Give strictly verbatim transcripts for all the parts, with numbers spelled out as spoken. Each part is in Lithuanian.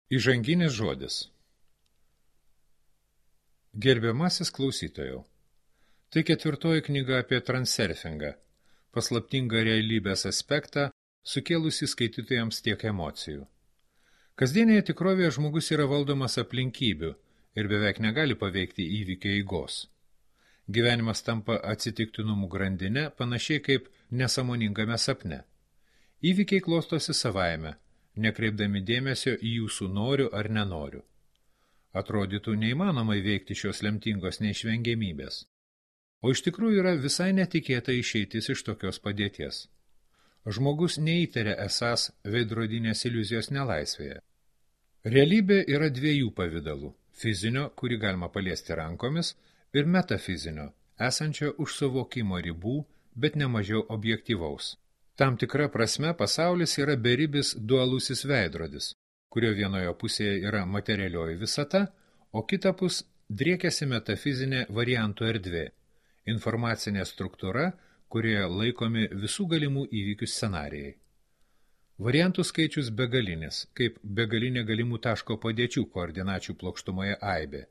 Įžanginis žodis. Gerbiamasis klausytojau, tai ketvirtoji knyga apie transurfingą, paslaptingą realybės aspektą, sukėlusi skaitytojams tiek emocijų. Kasdienėje tikrovėje žmogus yra valdomas aplinkybių ir beveik negali paveikti įvykio eigos. Gyvenimas tampa atsitiktinumų grandinė, panašiai kaip nesąmoningame sapne. Įvykiai klostosi savaime, nekreipdami dėmesio į jūsų noriu ar nenoriu. Atrodytų neįmanoma įveikti šios lemtingos neišvengiamybės. O iš tikrųjų yra visai netikėta išeitis iš tokios padėties. Žmogus neįtaria esąs veidrodinės iliuzijos nelaisvėje. Realybė yra dviejų pavidalų – fizinio, kurį galima paliesti rankomis, ir metafizinio, esančio už suvokimo ribų, bet nemažiau objektyvaus. Tam tikra prasme pasaulis yra beribis dualusis veidrodis, kurio vienoje pusėje yra materialioji visata, o kitapus driekiasi metafizinė variantų erdvė, informacinė struktūra, kurioje laikomi visų galimų įvykių scenarijai. Variantų skaičius begalinis, kaip begalinė galimų taško padėčių koordinačių plokštumoje aibė.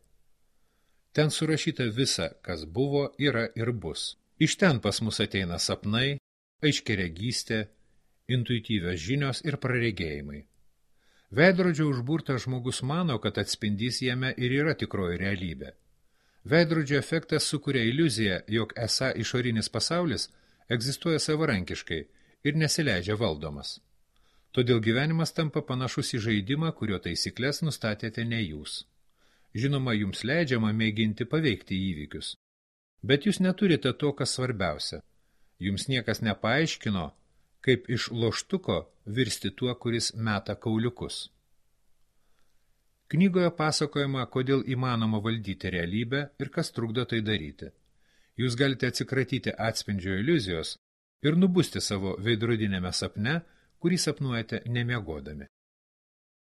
Ten surašyta visa, kas buvo, yra ir bus. Iš ten pas mus ateina sapnai, aiškiaregystė, intuityvios žinios ir praregėjimai. Veidrodžio užburtas žmogus mano, kad atspindys jame ir yra tikroji realybė. Veidrodžio efektas sukuria iliuziją, jog esą išorinis pasaulis egzistuoja savarankiškai ir nesileidžia valdomas. Todėl gyvenimas tampa panašus į žaidimą, kurio taisyklės nustatėte ne jūs. Žinoma, jums leidžiama mėginti paveikti įvykius. Bet jūs neturite to, kas svarbiausia. Jums niekas nepaaiškino, kaip iš loštuko virsti tuo, kuris meta kauliukus. Knygoje pasakojama, kodėl įmanoma valdyti realybę ir kas trukdo tai daryti. Jūs galite atsikratyti atspindžio iliuzijos ir nubusti savo veidrodinėme sapne, kurį sapnuojate nemiegodami.